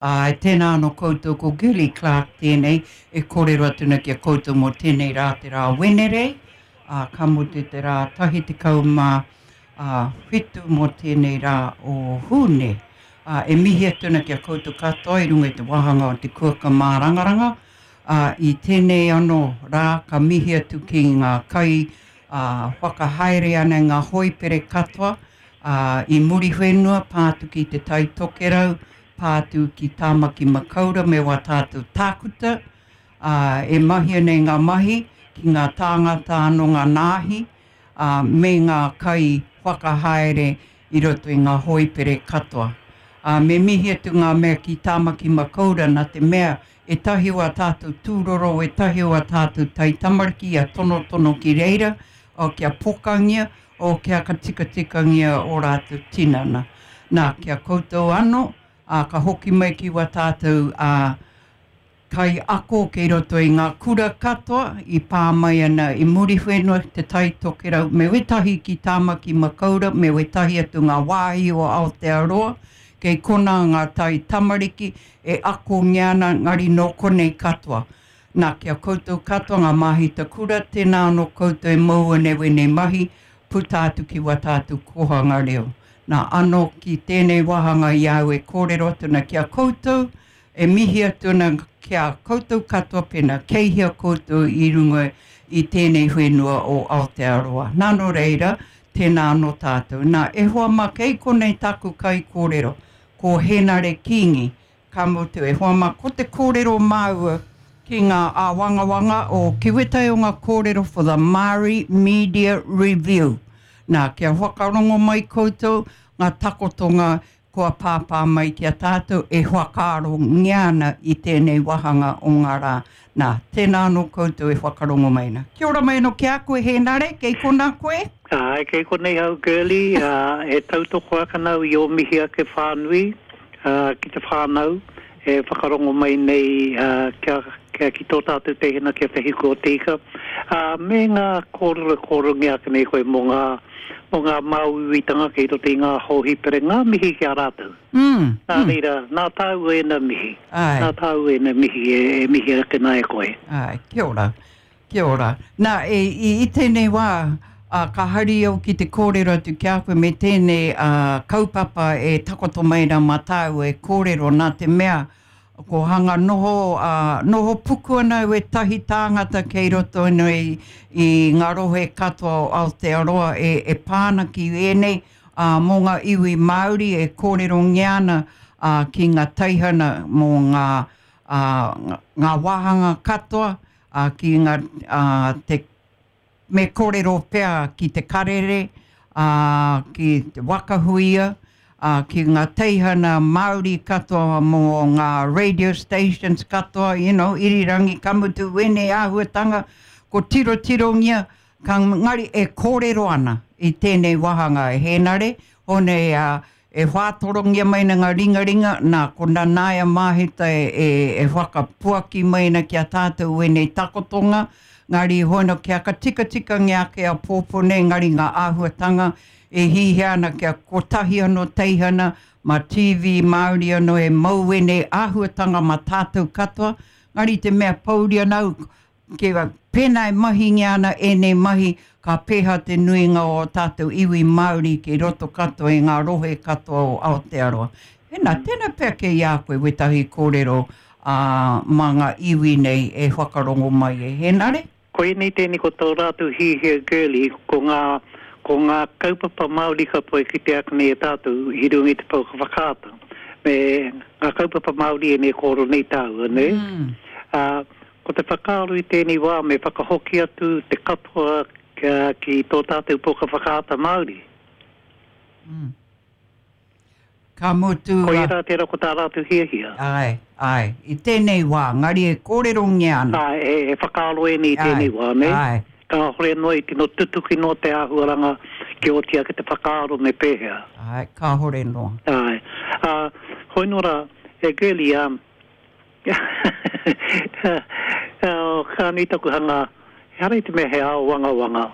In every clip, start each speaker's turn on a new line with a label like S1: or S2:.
S1: Āe, tēnā anō koutou, ko Girlie Clarke tēnei e kōrero atu nei ki a koutou mō tēnei rā te rā Wenerei, ā, ka mutu te rā 17 mō tēnei rā o Hūne. Ā, e mihi atu ana ki a koutou katoa i runga i te wāhanga o te kuaka mārangaranga, ā, i tēnei anō rā ka mihi atu ki ngā kai, ā, whakahaere ana i ngā hoipere katoa, ā, i Muriwhenua, pā atu ki Te Tai Tokerau, pā atu ki Tāmaki Makaura me wā tātou tākuta, ā, e mahia nei ngā mahi ki ngā tāngata anō ngā nāhi, ā, me ngā kai whakahaere i roto i ngā hōipere katoa. Ā, me mihi atu ngā mea ki Tāmaki Makaura nā te mea ētahi o ā tātou tūroro, ētahi o ā tātou taitamariki ia tonotono ki reira, ā, kia pokangia, O kia ka tikatikangia o ratou tinana. Na, ki a koutou ano, a ka hoki mai ki wa tatou a kai ako kei roto i nga kura katoa i pa mai ana i Muriwhenua, Te Tai Tokerau, me wetahi ki Tamaki Makaura, me wetahi atu nga wahi o Aotearoa, kei kona nga tai tamariki e akongia ana ngari no konei katoa. Nā, ki a koutou katoa ngā māhita kura, tēnā anō koutou e moua nei wēnei mahi, puta atu ki wā tātou kōhanga reo. Nā, anō ki tēnei wāhanga i a au e kōrero atu ana ki a koutou, e mihi atu ana ki a koutou katoa pēnā kei hea koutou i runga i tēnei whenua o Aotearoa. Nā, nō reira, tēnā anō tātou. Nā, e hoa mā, kei konei tāku kaikōrero, ko Hēnare Kīngi, Ka mutu, e hoa mā, ko te kōrero māua ki ngā āwangawanga o Ki wētahi o ngā kōrero for the Māori Media Review. Nā, kia whakarongo mai koutou ngā takotonga kua pāpā mai ki a tātou e whakaarongia ana i tēnei wāhanga o ngā rā. Nā, tēnā anō koutou e whakarongo mai ana. Kia ora mai anō ki a koe, Hēnare, kei konā koe?
S2: Āe, kei konei au, Girlie, ā, e tautoko ake ana au i ō mihi ake whānui. ki te whānau e whakarongo mai nei kia, kia ki tō tātou teihana ki a Te Hiku o Te Ika, ā, me ngā kōrero e kōrerongia ake nei koe mō ngā, mō ngā māuiuitanga kei roto i ngā hōhipere, ngā mihi ki a rātou.
S1: Mm,
S2: Nā
S1: mm.
S2: reira, nā tāua ēnā mihi.
S1: Āe.
S2: Nā tāua ēnā mihi e, e mihi ake nā e koe.
S1: Āe, kia ora. Kia ora. Nā, e, i, i tēnei wā, ā, ka hari au ki te kōrero atu ki a koe me tēnei ā, kaupapa e takoto mai rā mā tāua e kōrero, nā te mea, ko hanga noho, ā, noho puku ana wētahi tāngata kei roto nei i ngā rohe katoa o Aotearoa e, e pā ana ki ēnei, ā, mō ngā iwi Māori e kōrerongia ana, ā, ki ngā teihana mō ngā, ā, ngā wāhanga katoa, ā, ki ngā, ā, te, me kōrero pea ki te karere, ā, ki te waka huia, ā, ki ngā teihana Māori katoa mō ngā radio stations katoa, you know, irirangi, ka mutu wēnei āhuatanga, ko tirotirongia, ka ngari e kōrero ana i tēnei wāhanga e Hēnare, hone, ā, E whātorongia mai ana ngā ringaringa, nā, ko Nanaia Māhita e whakapuaki mai ana ki a tātou ēnei takotonga, ngari hono kia ka tikatikangia ake a pōpō nei, ngari ngā āhuatanga e hihia ana kia kotahi anō teihana, mā TV Māori anō e mau ēnei āhuatanga mā tātou katoa, ngari te mea pōuri ana au, Kia pēnā e mahingia ana ēnei mahi, ka pēhea te nuinga o ō tātou iwi Māori ki roto katoa i ngā rohe katoa o Aotearoa. Hēnā, tēnā pea kei a koe wētahi kōrero ā, mā ngā iwi nei e whakarongo mai e Hēnare?
S2: Koinei tēnei ko tō rātou hihia girlie, ko ngā, ko ngā kaupapa Māori katoa e kitea ake nei e tātou i runga i te pouaka whakaata. Me ngā kaupapa Māori ēnei kōrero nei tāua, nē? Ā, Ko te whakaaro i tēnei wā me whakahoki atu te katoa ki tō tātou pouaka whakaata Māori.
S1: Mm. Ka mutu.
S2: Koia rā tērā ko tā rātou hiahia.
S1: Āe, āe. I tēnei wā, ngari e kōrerongia ana.
S2: Āe, he, he whakaaro ēnei i tēnei wā, nē?
S1: Āe.
S2: Kāhore noa i tino tutuki noa te āhuaranga kia oti ake te whakaaro me pēhea.
S1: Āe, kāhore noa.
S2: Āe. Ā, hoi noa rā, e Girlie, ā, Ka nui taku hanga, ehara i te mea he āwangawanga.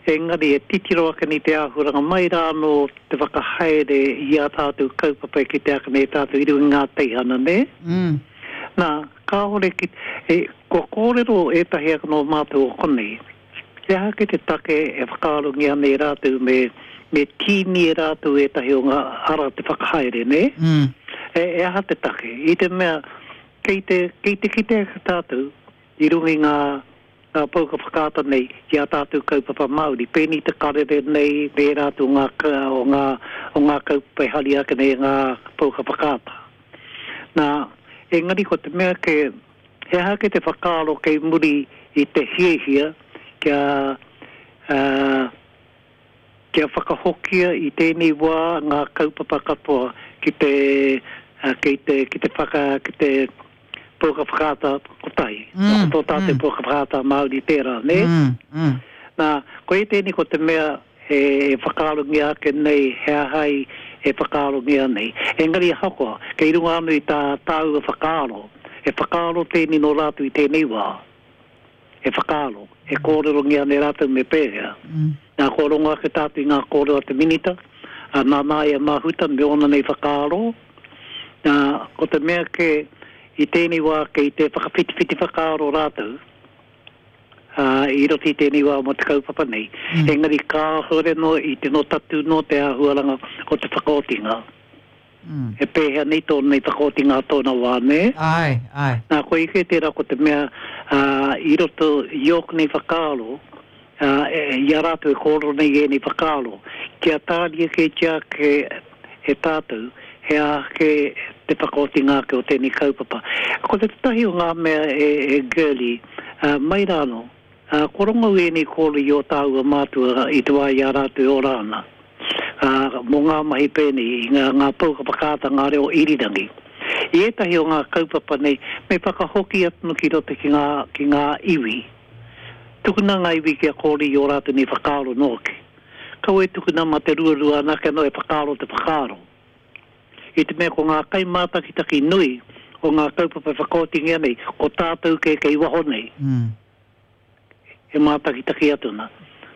S2: Engari e titiro ake nei te āhuaranga mai rā anō te whakahaere i ā tātou kaupapa e kite ake nei tātou i runga i ngā teihana, nē? Nā, kāore ki, e, kua kōrero ētahi ake nō mātou o konei, he aha kē te take e whakaarongia ana e rātou me, me tīni e rātou ētahi o ngā ara te whakahaere, nē? E, e aha te take? I te mea, kei te, kei te kite ake tātou i runga i ngā, ngā pouka whakaata nei i ā tātou kaupapa Māori, pēnei te karere nei me ērā atu o ngā, o ngā, o ngā kaupapa e haria ake nei e ngā pouka whakaata. Nā, engari ko te mea kē, he aha kē te whakaaro kei muri i te hiahia kia, ā, kia whakahokia i tēnei wā ngā kaupapa katoa ki te, kei te, ki te whaka, ki te pouaka whakaata kotahi. Mm, ko tō tātou mm. pouaka whakaata Māori tērā, nē? Mm, mm. Nā, ko e tēnei ko te mea e whakaarongia ake nei, he aha i e whakaarongia nei. Engari ahakoa, kei runga anō i tā tāua whakaaro, he whakaaro tēnei nō rātou i tēnei wā. He whakaaro, e kōrerongia ana e rātou me pēhea. Nā, kua rongo ake tātou i ngā kōrero a te Minita, a Nanaia Mahuta me ōna nei whakaaro. Nā, ko te mea kē, i tēnei wā kei te whakawhitiwhiti whakaaro rātou, ā, i roto i tēnei wā mō te kaupapa nei. Engari kāore noa i tino tatū noa te āhuaranga o te whakaotinga. E pēhea nei tōna nei whakaotinga a tōna wā, nē?
S1: Āe, āe.
S2: Nā, koia kē tērā ko te mea, ā, i roto i ōku nei whakaaro, ā, i a rātou e kōrero nei i ēnei whakaaro, kia tāria kētia ake e tātou he aha kē te whakaotinga ake o tēnei kaupapa. Ko te tētahi o ngā mea e, e Girlie, ā, mai rā anō, Ā, kua rongo au ēnei kōrero i ō tāua mātua i te wā i a rātou e ora ana, ā, mō ngā mahi pēnei i ngā, ngā pouaka whakaata, ngā reo irirangi. I ētahi o ngā kaupapa nei, me whakahoki atu ki roto ki ngā, ki ngā iwi. Tukuna ngā iwi kia kōrero i ō rātou nei whakaaro nōki. Kaua e tukuna mā te ruarua anake anō e whakaaro te whakaaro. I te mea ko ngā kaimātakitaki nui o ngā kaupapa e whakaotingia nei, ko tātou kē kei waho nei. E mātakitaki atu ana.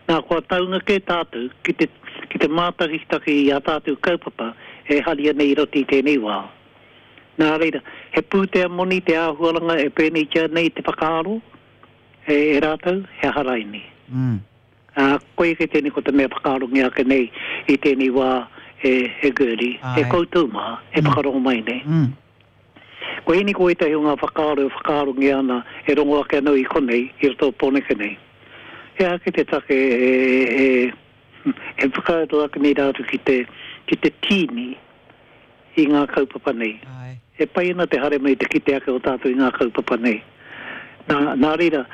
S2: Nā, kua taunga kē tātou ki te, ki te mātakitaki i ā tātou kaupapa e haria nei i roto i tēnei wā. Nā reira, he pūtea moni te āhuaranga e pēneitia nei te whakaaro e, e rātou, he aha raini. Ā, koia kē tēnei ko te mea whakaarongia ake nei i tēnei wā e, e Gertie, e koutou mā, e whakarongo mai nei. Ko ēnei ko ētahi o ngā whakaaro e whakaarongia ana e rongo ake ana i konei, i roto o Pōneke nei. He aha ake te take e, e, e whakaaro ake nei rātou ki te, ki te tīni i ngā kaupapa nei?
S1: Āe.
S2: E pai ana te haere mai te kite ake o tātou i ngā kaupapa nei. Nā, nā reira,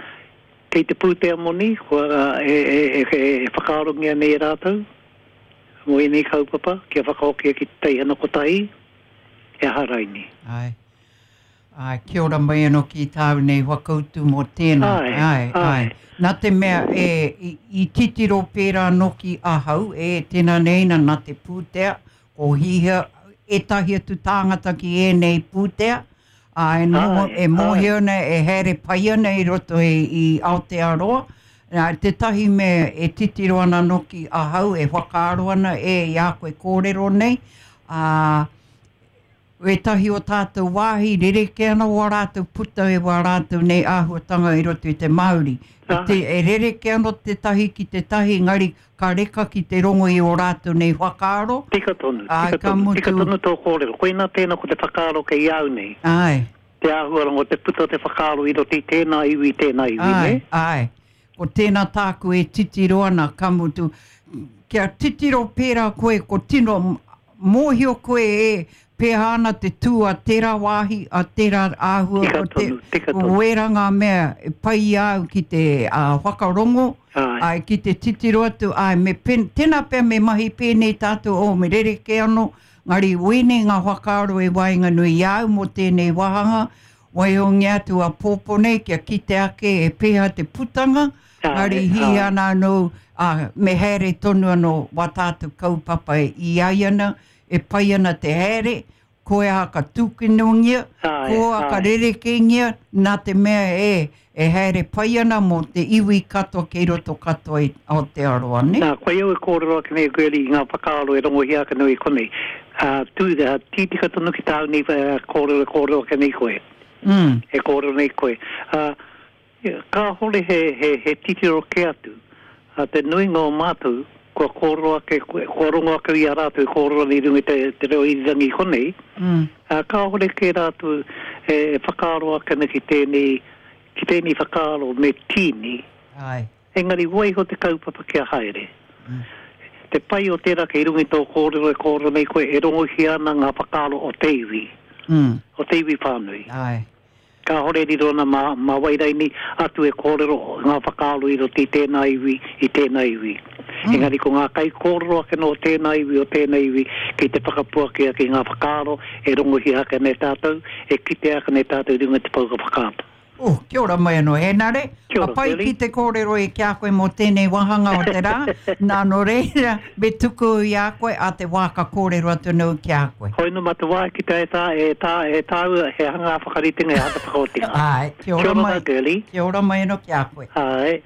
S2: kei te pūtea moni, kua, e, e, e, e whakaarongia nei e rātou mō ēnei kaupapa kia whakahokia ki te teihana kotahi, He aha raini?
S1: Āe. Āe, kia ora mai anō ki tāu nei whakautu mō tēnā.
S2: Āe,
S1: āe.
S2: Āe.
S1: Nā te mea e, i, i titiro pērā nōki ahau, e, tēnā nei nā, nā te pūtea, ko hihia ētahi atu tāngata ki ēnei pūtea, ā, e noho,
S2: Āe,
S1: e mōhio
S2: āe.
S1: ana, e haere pai ana i roto i, i Aotearoa. Nā, tētahi mea e titiro ana nōki ahau, e whakaaro ana, e, i a koe kōrero nei, Ā, wētahi o tātou wāhi rerekē ana wā rātou puta i wā rātou nei āhuatanga i roto i te Māori. E, te, e rerekē ana tētahi ki tētahi, engari ka reka ki te rongo i ō rātou nei whakaaro.
S2: Tika tonu,
S1: Āe,
S2: tika
S1: ka
S2: tonu,
S1: mutu.
S2: tika tonu tō kōrero. Koinā tēnā ko te whakaaro kei au nei.
S1: Āe.
S2: Te āhuaranga o te puta o te whakaaro i roto i tēnā iwi, i tēnā iwi,
S1: Āe,
S2: nē?
S1: āe. Ko tēnā tāku e titiro ana, ka mutu, kia titiro pērā koe, ko tino mōhio koe e pēhā ana te tū a tērā wāhi, a tērā āhua,
S2: Tika
S1: ko te,
S2: tonu, tika tonu.
S1: wērā ngā mea e pai i a au ki te whakarongo,
S2: Āe.
S1: āe, ki te titiro atu, āe, me pen, tēnā pea me mahi pēnei tātou, oh, me rerekē anō, ngari wēnei ngā whakaaro e waenganui i a au mō tēnei wāhanga, Waihongia atu a Pōpō nei kia kite ake e pēhea te putanga, engari hī ana anō, ā, me haere tonu anō wā tātou kaupapa i ai ana, e pai ana te haere, Ko aha ka tūkinongia, ko aha ka rerekēngia, nā te mea e, e haere pai ana mō te iwi katoa kei roto katoa i Aotearoa, nē?
S2: Nā, koia au e kōrero ake nei, Girlie, i ngā whakaaro e rongohia ake nei i konei. Ā, tū, ā, tītika tonu ki tāu nei kōrero e kōrero ake nei koe.
S1: Mm.
S2: E kōrero nei koe. Ā, kāhore he, he, he titiro kē atu. Ā, te nuinga o mātou, kua kōrero ake, kua rongo ake i a rātou e kōrero ana i runga i te, te reo irirangi i konei,
S1: mm.
S2: ā, kāhore kē rātou e, e whakaaro ake ana ki tēnei, ki tēnei whakaaro me tīni.
S1: Āe.
S2: Engari waiho te kaupapa kia haere. Mm. Te pai o tērā kei runga i tō kōrero e kōrero nei koe e rongohia ana ngā whakaaro o te iwi.
S1: Mm.
S2: O te iwi whānui.
S1: Āe.
S2: Kāore e riro ana mā, mā wai raini atu e kōrero ngā whakaaro i roto i tēnā iwi, i tēnā iwi. Engari ko ngā kaikōrero ake nō tēnā iwi, o tēnā iwi, kei te whakapuaki ake i ngā whakaaro e rongohia ake nei tātou, e kitea ake nei tātou i runga i te pouaka whakaata.
S1: Oh, kia ora mai anō, Hēnare.
S2: Kia ora,
S1: Ka pai
S2: Shirley.
S1: ki te kōrero i ki a koe mō tēnei wāhanga o te rā. Nā, nō reira, me tuku i a koe a te wā ka kōrero atu anō ki a koe.
S2: Hoi nō mā te wā ki te e tā, e tā, e tāua he hanga whakaritenga, he hanga whakaotinga.
S1: Āe, kia
S2: Kia
S1: ora
S2: ora
S1: mai.
S2: rā, Girlie.
S1: Kia ora mai anō ki a koe.
S2: Āe.